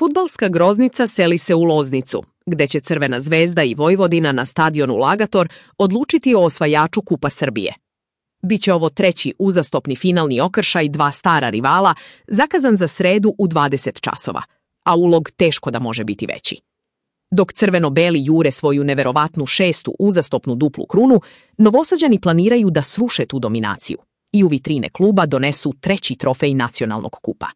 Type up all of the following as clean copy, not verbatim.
Fudbalska groznica seli se u Loznicu, gde će Crvena zvezda i Vojvodina na stadionu Lagator odlučiti o osvajaču Kupa Srbije. Biće ovo treći uzastopni finalni okršaj dva stara rivala, zakazan za sredu u 20 časova, a ulog teško da može biti veći. Dok crveno-beli jure svoju neverovatnu šestu uzastopnu duplu krunu, Novosađani planiraju da sruše tu dominaciju i u vitrine kluba donesu treći trofej nacionalnog kupa.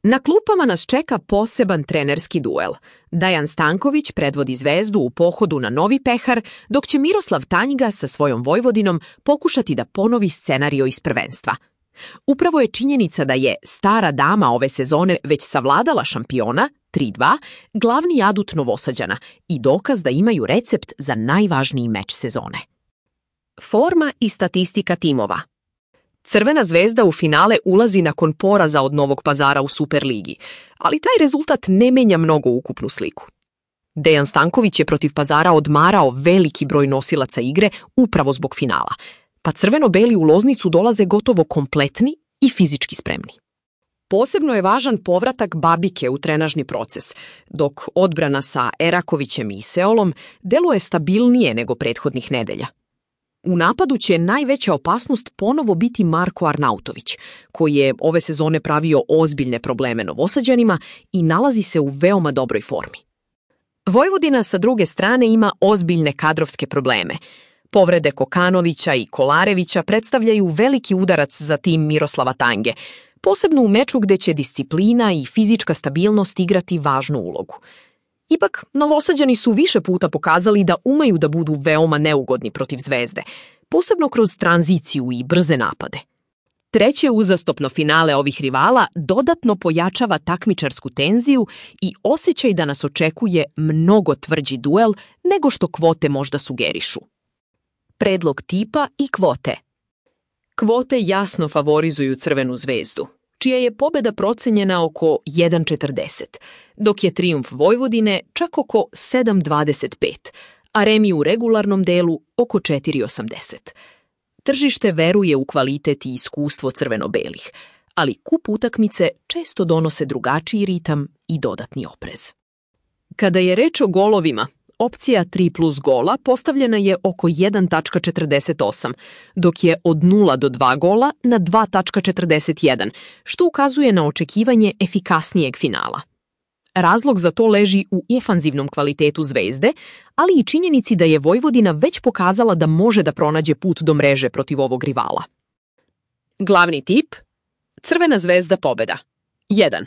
Na klupama nas čeka poseban trenerski duel. Dejan Stanković predvodi Zvezdu u pohodu na Novi Pehar, dok će Miroslav Tanjga sa svojom Vojvodinom pokušati da ponovi scenario iz prvenstva. Upravo je činjenica da je stara dama ove sezone već savladala šampiona, 3-2, glavni adut Novosađana i dokaz da imaju recept za najvažniji meč sezone. Forma i statistika timova. Crvena zvezda u finale ulazi nakon poraza od Novog Pazara u Superligi, ali taj rezultat ne menja mnogo ukupnu sliku. Dejan Stanković je protiv Pazara odmarao veliki broj nosilaca igre upravo zbog finala, pa crveno-beli u Loznicu dolaze gotovo kompletni i fizički spremni. Posebno je važan povratak Babike u trenažni proces, dok odbrana sa Erakovićem i Seolom deluje stabilnije nego prethodnih nedelja. U napadu će najveća opasnost ponovo biti Marko Arnautović, koji je ove sezone pravio ozbiljne probleme Novosađanima i nalazi se u veoma dobroj formi. Vojvodina sa druge strane ima ozbiljne kadrovske probleme. Povrede Kokanovića i Kolarevića predstavljaju veliki udarac za tim Miroslava Tanjge, posebno u meču gde će disciplina i fizička stabilnost igrati važnu ulogu. Ipak, Novosađani su više puta pokazali da umeju da budu veoma neugodni protiv Zvezde, posebno kroz tranziciju i brze napade. Treće uzastopno finale ovih rivala dodatno pojačava takmičarsku tenziju i osjećaj da nas očekuje mnogo tvrđi duel nego što kvote možda sugerišu. Predlog tipa i kvote. Kvote jasno favorizuju Crvenu zvezdu, čija je pobeda procenjena oko 1,40, dok je trijumf Vojvodine čak oko 7,25, a remi u regularnom delu oko 4,80. Tržište veruje u kvalitet i iskustvo crveno-belih, ali kup utakmice često donose drugačiji ritam i dodatni oprez. Kada je reč o golovima, opcija 3 plus gola postavljena je oko 1,48, dok je od 0 do 2 gola na 2,41, što ukazuje na očekivanje efikasnijeg finala. Razlog za to leži u ofanzivnom kvalitetu Zvezde, ali i činjenici da je Vojvodina već pokazala da može da pronađe put do mreže protiv ovog rivala. Glavni tip: Crvena zvezda pobeda. 1.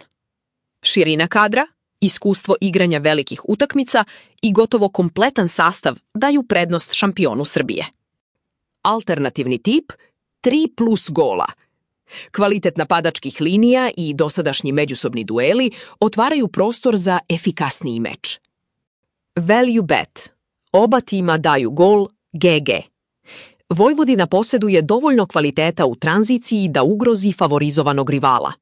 Širina kadra, iskustvo igranja velikih utakmica i gotovo kompletan sastav daju prednost šampionu Srbije. Alternativni tip: 3 plus gola. Kvalitet napadačkih linija i dosadašnji međusobni dueli otvaraju prostor za efikasniji meč. Value bet. Oba tima daju gol GG. Vojvodina poseduje dovoljno kvaliteta u tranziciji da ugrozi favorizovanog rivala.